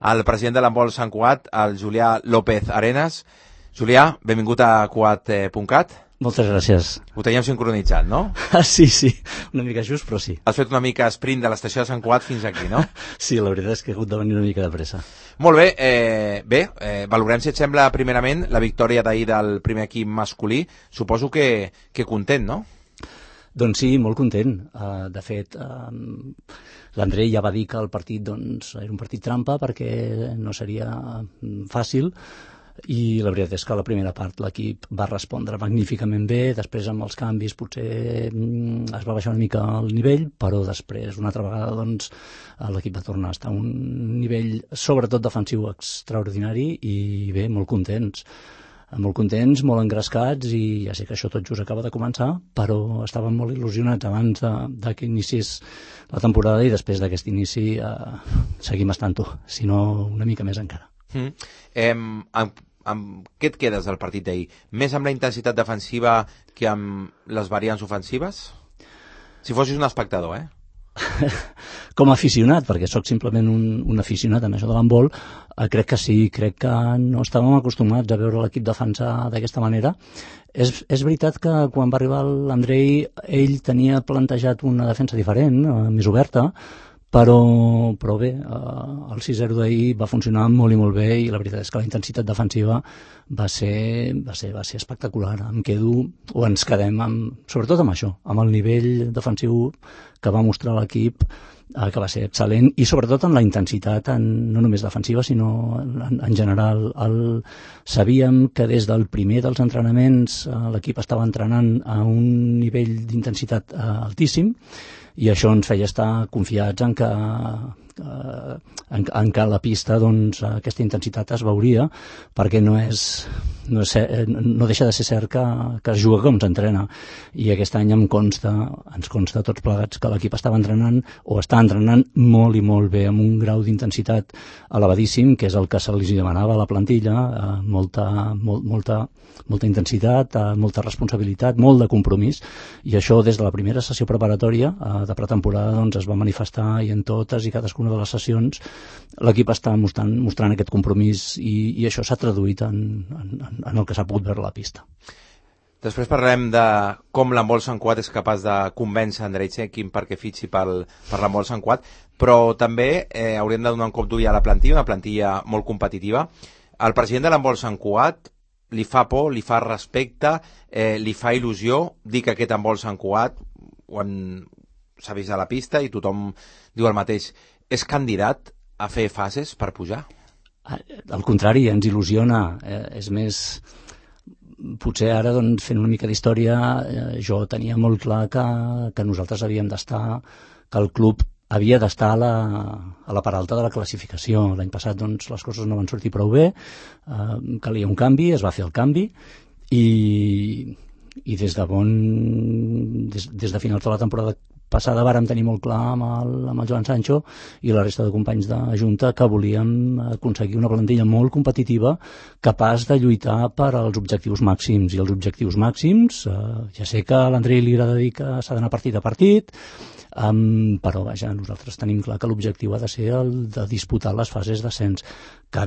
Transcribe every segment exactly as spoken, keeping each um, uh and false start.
el president de l'handbol Sant Cugat, el Julià López Arenas. Julià, benvingut a cugat punt cat. Moltes gràcies. Ho teníem sincronitzat, no? Ah, sí, sí, una mica just, però sí. Has fet una mica sprint de l'estació de Sant Cugat fins aquí, no? Sí, la veritat és que he hagut de venir una mica de pressa. Molt bé, eh, bé, eh, valorem, si et sembla, primerament, la victòria d'ahir del primer equip masculí. Suposo que, que content, no? Doncs sí, molt content. Uh, de fet, uh, l'Andrei ja va dir que el partit doncs, era un partit trampa perquè no seria fàcil, i la veritat és que a la primera part l'equip va respondre magníficament bé. Després amb els canvis potser mm, es va baixar una mica el nivell, però després una altra vegada doncs, l'equip va tornar a estar a un nivell sobretot defensiu extraordinari, i bé, molt contents molt contents, molt engrescats, i ja sé que això tot just acaba de començar, però estàvem molt il·lusionats abans de, de que iniciés la temporada, i després d'aquest inici eh, seguim estant-ho, si no una mica més encara. Mm. Eh, amb, amb què et quedes del partit d'ahir? Més amb la intensitat defensiva que amb les variants ofensives? Si fossis un espectador, eh? Com a aficionat, perquè sóc simplement un, un aficionat en això de l'handbol, eh, crec que sí, crec que no estàvem acostumats a veure l'equip defensar d'aquesta manera. És, és veritat que quan va arribar l'Andrei, ell tenia plantejat una defensa diferent, eh, més oberta, però, però bé, eh, el sis zero d'ahir va funcionar molt i molt bé, i la veritat és que la intensitat defensiva va ser, va ser, va ser espectacular. Em quedo, o ens quedem, amb, sobretot amb això, amb el nivell defensiu que va mostrar l'equip, eh, que va ser excel·lent, i sobretot amb la intensitat, en, no només defensiva, sinó en, en general. El, sabíem que des del primer dels entrenaments eh, l'equip estava entrenant a un nivell d'intensitat eh, altíssim, i això ens feia estar confiats en que, eh, en, en que a la pista doncs, aquesta intensitat es veuria, perquè no és, no, és, no deixa de ser cert que, que es juga com s'entrena, i aquest any em consta, ens consta tots plegats que l'equip estava entrenant, o està entrenant molt i molt bé, amb un grau d'intensitat elevadíssim, que és el que se li demanava a la plantilla, eh, molta, molt, molta, molta intensitat, eh, molta responsabilitat, molt de compromís, i això des de la primera sessió preparatòria eh, de pretemporada doncs, es va manifestar, i en totes i cadascuna de les sessions l'equip està mostrant, mostrant aquest compromís, i, i això s'ha traduït en, en, en el que s'ha pogut veure a la pista. Després parlarem de com l'handbol Sant Cugat és capaç de convèncer Andrei Txekin perquè fitxi pel, per l'handbol Sant Cugat, però també eh, hauríem de donar un cop d'ull a la plantilla, una plantilla molt competitiva. El president de l'handbol Sant Cugat li fa por, li fa respecte, eh, li fa il·lusió dir que aquest handbol Sant Cugat s'ha vist a la pista i tothom diu el mateix. És candidat a fer fases per pujar? Al contrari, ens il·lusiona. Eh, és més, potser ara, doncs, fent una mica d'història, eh, jo tenia molt clar que, que nosaltres havíem d'estar, que el club havia d'estar a la, a la part alta de la classificació. L'any passat doncs, les coses no van sortir prou bé, eh, calia un canvi, es va fer el canvi, i, i des de bon des, des de finals de la temporada passada vàrem tenir molt clar amb el, amb el Joan Sancho i la resta de companys de Junta que volíem aconseguir una plantilla molt competitiva, capaç de lluitar per als objectius màxims. I els objectius màxims, eh, ja sé que a l'Andrei li agrada dir que s'ha d'anar partit a partit, um, però vaja, nosaltres tenim clar que l'objectiu ha de ser el de disputar les fases d'ascens, que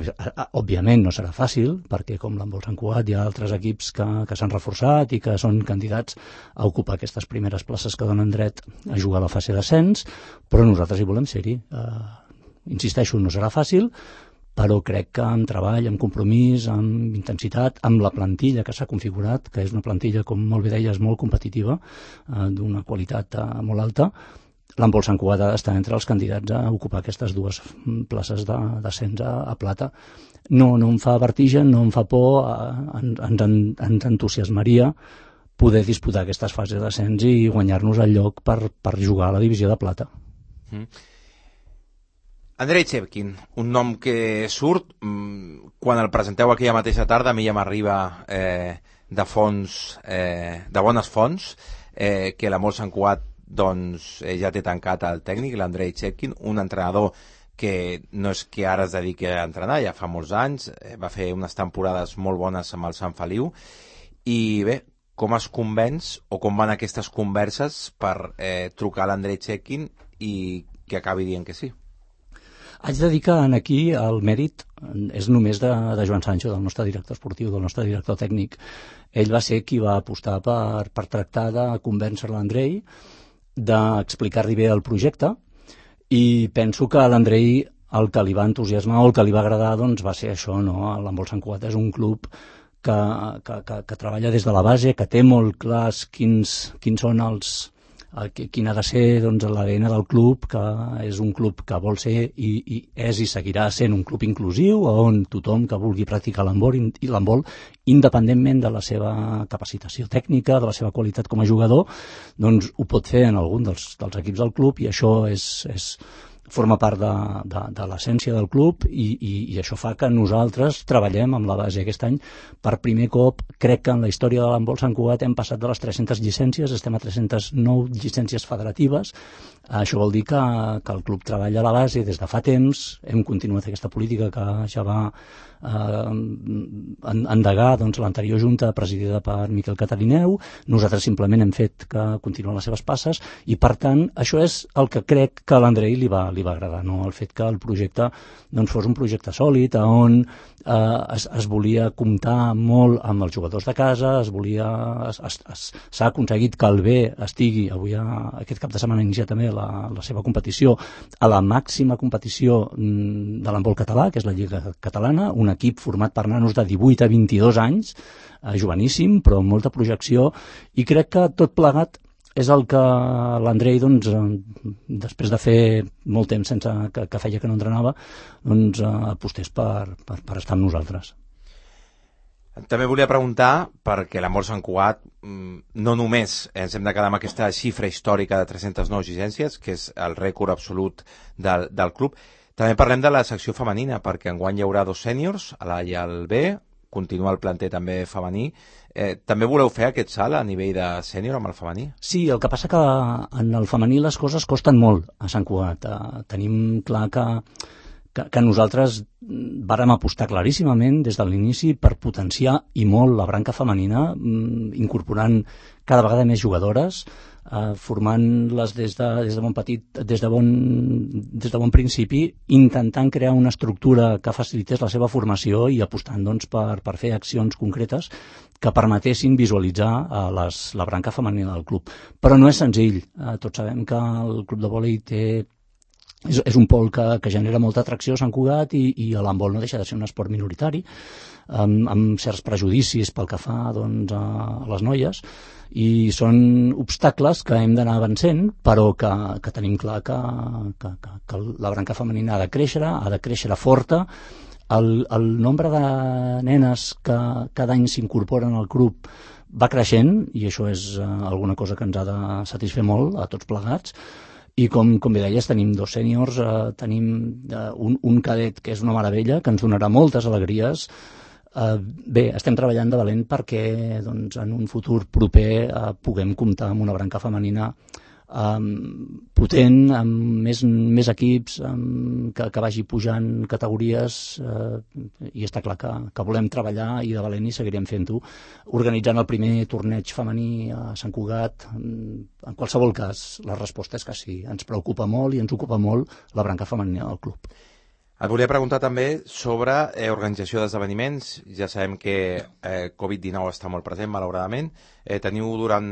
òbviament no serà fàcil, perquè com l'handbol Sant Cugat hi ha altres equips que, que s'han reforçat i que són candidats a ocupar aquestes primeres places que donen dret a jugar a la fase d'ascens, però nosaltres hi volem ser-hi. Uh, insisteixo, no serà fàcil, però crec que amb treball, amb compromís, amb intensitat, amb la plantilla que s'ha configurat, que és una plantilla, com molt bé deies, molt competitiva, uh, d'una qualitat uh, molt alta, l'handbol Sant Cugat ha d'estar entre els candidats a ocupar aquestes dues places d'ascens a, a plata. No, no em fa vertigen, no em fa por, uh, ens, ens, ens entusiasmaria poder disputar aquestes fases d'ascens i guanyar-nos el lloc per, per jugar a la divisió de plata. Mm. Andrei Txekin, un nom que surt, mmm, quan el presenteu aquella mateixa tarda, a mi ja m'arriba eh, de fons, eh, de bones fonts, eh, que l'handbol Sant Cugat doncs, eh, ja té tancat el tècnic, l'Andrei Txekin, un entrenador que no és que ara es dediqui a entrenar, ja fa molts anys, eh, va fer unes temporades molt bones amb el Sant Feliu, i bé, com es convenç o com van aquestes converses per eh, trucar a l'Andrei Txekin i que acabi dient que sí? Haig de dir que aquí el mèrit és només de, de Joan Sancho, del nostre director esportiu, del nostre director tècnic. Ell va ser qui va apostar per, per tractar de convèncer l'Andrei, d'explicar-li bé el projecte, i penso que a l'Andrei el que li va entusiasmar o el que li va agradar doncs, va ser això, no? L'Handbol Sant Cugat és un club que, que, que, que treballa des de la base, que té molt clars quins, quins són els... quin ha de ser doncs, l'A D N del club, que és un club que vol ser i, i és i seguirà sent un club inclusiu on tothom que vulgui practicar l'handbol i l'handbol, independentment de la seva capacitació tècnica, de la seva qualitat com a jugador, doncs ho pot fer en algun dels, dels equips del club, i això és, és forma part de, de, de l'essència del club, i, i, i això fa que nosaltres treballem amb la base. Aquest any, per primer cop, crec que en la història de l'handbol Sant Cugat hem passat de les tres-centes llicències, estem a tres-centes nou llicències federatives. Això vol dir que, que el club treballa a la base des de fa temps, hem continuat aquesta política que ja va eh, endegar doncs, l'anterior junta presidida per Miquel Catarineu. Nosaltres simplement hem fet que continuen les seves passes, i per tant això és el que crec que a l'Andrei li va, li va agradar, no? El fet que el projecte doncs, fos un projecte sòlid, on eh, es, es volia comptar molt amb els jugadors de casa, es volia s'ha aconseguit que el B estigui avui a, aquest cap de setmana inicia també la, la seva competició a la màxima competició de l'handbol català, que és la Lliga Catalana, un equip format per nanos de divuit a vint-i-dos anys, eh, joveníssim, però amb molta projecció, i crec que tot plegat és el que l'Andrei, doncs, després de fer molt temps sense que, que feia que no entrenava, doncs, apostés per, per, per estar amb nosaltres. També volia preguntar, perquè l'handbol Sant Cugat no només ens hem de quedar amb aquesta xifra històrica de tres-centes nou llicències, que és el rècord absolut del, del club, també parlem de la secció femenina, perquè enguany hi haurà dos sèniors, a l'A i al B, continua el planter també femení. Eh, també voleu fer aquest salt a nivell de sènior amb el femení? Sí, el que passa que en el femení les coses costen molt a Sant Cugat. Eh, tenim clar que, que, que nosaltres vàrem apostar claríssimament des de l'inici per potenciar i molt la branca femenina, incorporant cada vegada més jugadores, Uh, formant-les des de, des de bon petit, des de bon, des de bon principi, intentant crear una estructura que facilités la seva formació i apostant doncs, per, per fer accions concretes que permetessin visualitzar uh, les, la branca femenina del club. Però no és senzill. Uh, tots sabem que el club de vòlei té és, és un pol que, que genera molta atracció a Sant Cugat, i, i l'handbol no deixa de ser un esport minoritari, amb, amb certs prejudicis pel que fa doncs, a les noies, i són obstacles que hem d'anar vencent, però que, que tenim clar que, que, que, que la branca femenina ha de créixer, ha de créixer forta. El, el nombre de nenes que cada any s'incorporen al club va creixent, i això és uh, alguna cosa que ens ha de satisfer molt a tots plegats. I com, com bé deies, tenim dos sèniors, uh, tenim uh, un, un cadet que és una meravella, que ens donarà moltes alegries. Uh, bé, estem treballant de valent perquè doncs, en un futur proper uh, puguem comptar amb una branca femenina um, potent, amb més, més equips, um, que, que vagi pujant categories, uh, i està clar que, que volem treballar i de valent, i seguirem fent-ho, organitzant el primer torneig femení a Sant Cugat. En qualsevol cas, la resposta és que sí, ens preocupa molt i ens ocupa molt la branca femenina del club. Et volia preguntar també sobre eh, organització d'esdeveniments. Ja sabem que eh, covid dinou està molt present, malauradament. Eh, teniu durant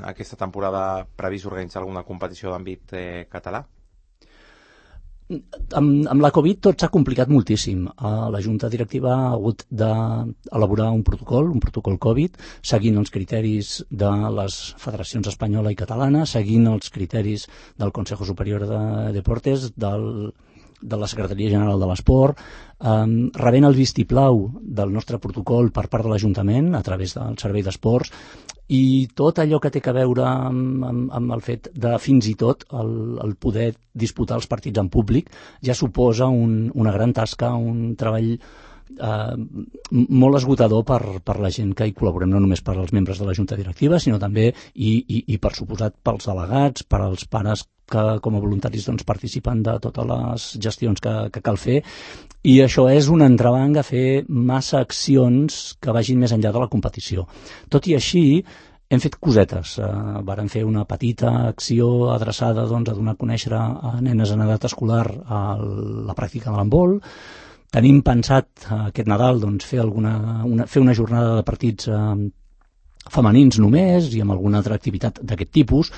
aquesta temporada previst organitzar alguna competició d'àmbit eh, català? Amb, amb la Covid tot s'ha complicat moltíssim. Uh, la Junta Directiva ha hagut d'elaborar un protocol, un protocol Covid, seguint els criteris de les federacions espanyola i catalana, seguint els criteris del Consejo Superior de Deportes, del de la Secretaria General de l'Esport, um, rebent el vistiplau del nostre protocol per part de l'Ajuntament a través del Servei d'Esports, i tot allò que té a veure amb, amb, amb el fet de fins i tot el, el poder disputar els partits en públic ja suposa un, una gran tasca, un treball eh, molt esgotador per, per la gent que hi col·laborem, no només per als membres de la Junta Directiva, sinó també i, i, i per suposat pels delegats, per als pares que com a voluntaris doncs, participen de totes les gestions que, que cal fer, i això és un entrebanc a fer massa accions que vagin més enllà de la competició. Tot i així, hem fet cosetes. Uh, vàrem fer una petita acció adreçada doncs, a donar a conèixer a nenes en edat escolar a la pràctica de l'handbol. Tenim pensat uh, aquest Nadal doncs, fer, alguna, una, fer una jornada de partits uh, femenins només i amb alguna altra activitat d'aquest tipus,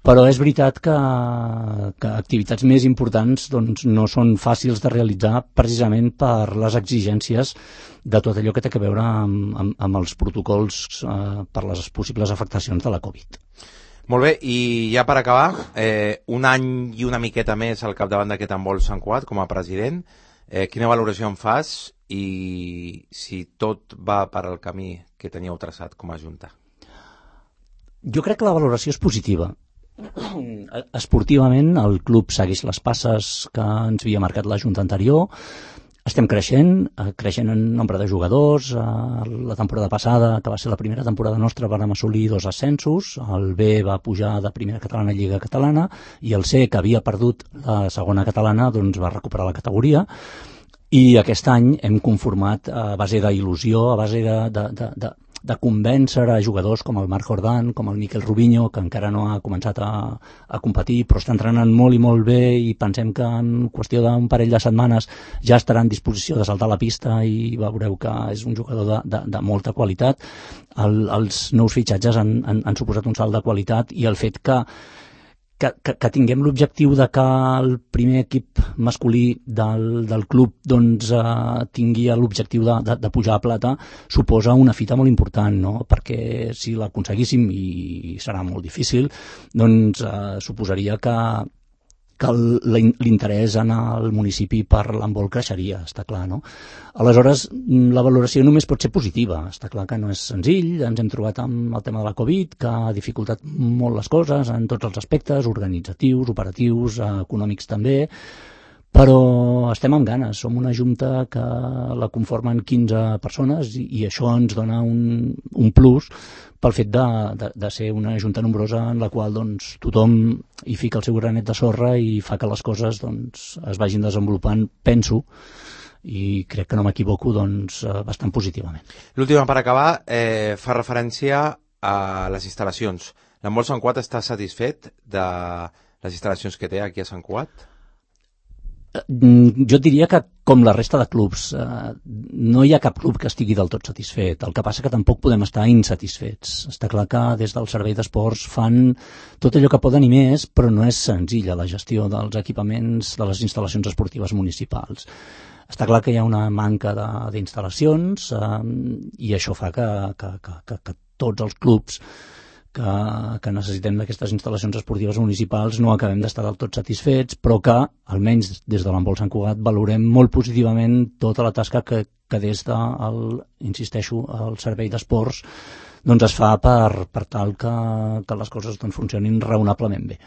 però és veritat que, que activitats més importants doncs, no són fàcils de realitzar precisament per les exigències de tot allò que té a veure amb, amb, amb els protocols eh, per les possibles afectacions de la Covid. Molt bé, i ja per acabar, eh, un any i una miqueta més al capdavant d'aquest handbol Sant Cugat com a president, eh, quina valoració en fas i si tot va per al camí que teníeu traçat com a Junta? Jo crec que la valoració és positiva. Esportivament, el club segueix les passes que ens havia marcat la Junta anterior. Estem creixent, creixent en nombre de jugadors. La temporada passada, que va ser la primera temporada nostra, vam assolir dos ascensos. El B va pujar de primera catalana a Lliga Catalana i el C, que havia perdut la segona catalana, doncs va recuperar la categoria. I aquest any hem conformat a base d'il·lusió, a base de, de, de, de, de convèncer a jugadors com el Marc Jordan, com el Miquel Rubinho, que encara no ha començat a, a competir, però està entrenant molt i molt bé i pensem que en qüestió d'un parell de setmanes ja estarà en disposició de saltar a la pista i veureu que és un jugador de, de, de molta qualitat. El, els nous fitxatges han, han, han suposat un salt de qualitat i el fet que Que, que, que tinguem l'objectiu de que el primer equip masculí del, del club doncs, eh, tingui l'objectiu de, de, de pujar a plata suposa una fita molt important, no? Perquè si l'aconseguíssim, i serà molt difícil, doncs eh, suposaria que, que l'interès en el municipi per l'handbol creixeria, està clar, no? Aleshores, la valoració només pot ser positiva. Està clar que no és senzill, ens hem trobat amb el tema de la Covid, que ha dificultat molt les coses en tots els aspectes, organitzatius, operatius, econòmics també, però estem amb ganes. Som una junta que la conformen quinze persones i, i això ens dona un, un plus pel fet de, de, de ser una junta nombrosa en la qual doncs, tothom hi fica el seu granet de sorra i fa que les coses doncs, es vagin desenvolupant, penso, i crec que no m'equivoco, doncs, bastant positivament. L'última per acabar eh, fa referència a les instal·lacions. L'handbol Sant Cugat està satisfet de les instal·lacions que té aquí a Sant Cugat? Jo diria que, com la resta de clubs, eh, no hi ha cap club que estigui del tot satisfet. El que passa que tampoc podem estar insatisfets. Està clar que des del servei d'esports fan tot allò que poden i més, però no és senzilla la gestió dels equipaments de les instal·lacions esportives municipals. Està clar que hi ha una manca d'instal·lacions eh, i això fa que, que, que, que, que tots els clubs que, que necessitem d'aquestes instal·lacions esportives municipals no acabem d'estar del tot satisfets, però que, almenys des de l'handbol Sant Cugat, valorem molt positivament tota la tasca que, que des de, el, insisteixo, el servei d'esports doncs es fa per, per tal que, que les coses doncs, funcionin raonablement bé.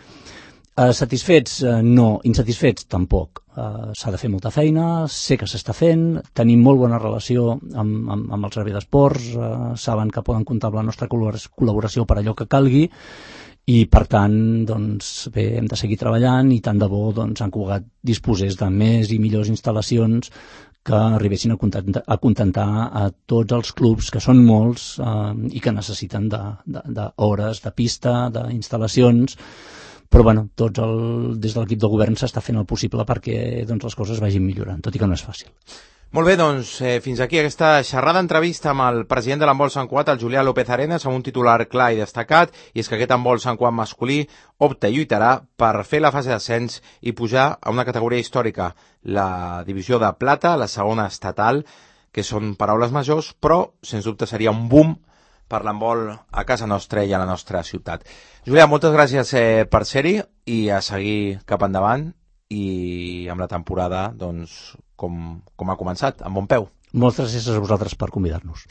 Uh, satisfets? Uh, no. Insatisfets? Tampoc. Uh, s'ha de fer molta feina, sé que s'està fent, tenim molt bona relació amb, amb, amb el servei d'esports, uh, saben que poden comptar amb la nostra col·laboració per allò que calgui i, per tant, doncs, bé, hem de seguir treballant i tant de bo doncs, Sant Cugat disposés de més i millors instal·lacions que arribessin a contentar, a contentar a tots els clubs, que són molts uh, i que necessiten d'hores, de, de, de pista, d'instal·lacions. Però bueno, tots el, des de l'equip de govern s'està fent el possible perquè doncs, les coses vagin millorant, tot i que no és fàcil. Molt bé, doncs eh, fins aquí aquesta xerrada entrevista amb el president de l'handbol Sant Cugat, el Julià López Arenas, amb un titular clar i destacat, i és que aquest handbol Sant Cugat masculí opta i lluitarà per fer la fase d'ascens i pujar a una categoria històrica, la divisió de plata, la segona estatal, que són paraules majors, però sens dubte seria un boom per l'handbol a casa nostra i a la nostra ciutat. Julià, moltes gràcies eh, per ser-hi i a seguir cap endavant i amb la temporada doncs, com, com ha començat, amb bon peu. Moltes gràcies a vosaltres per convidar-nos.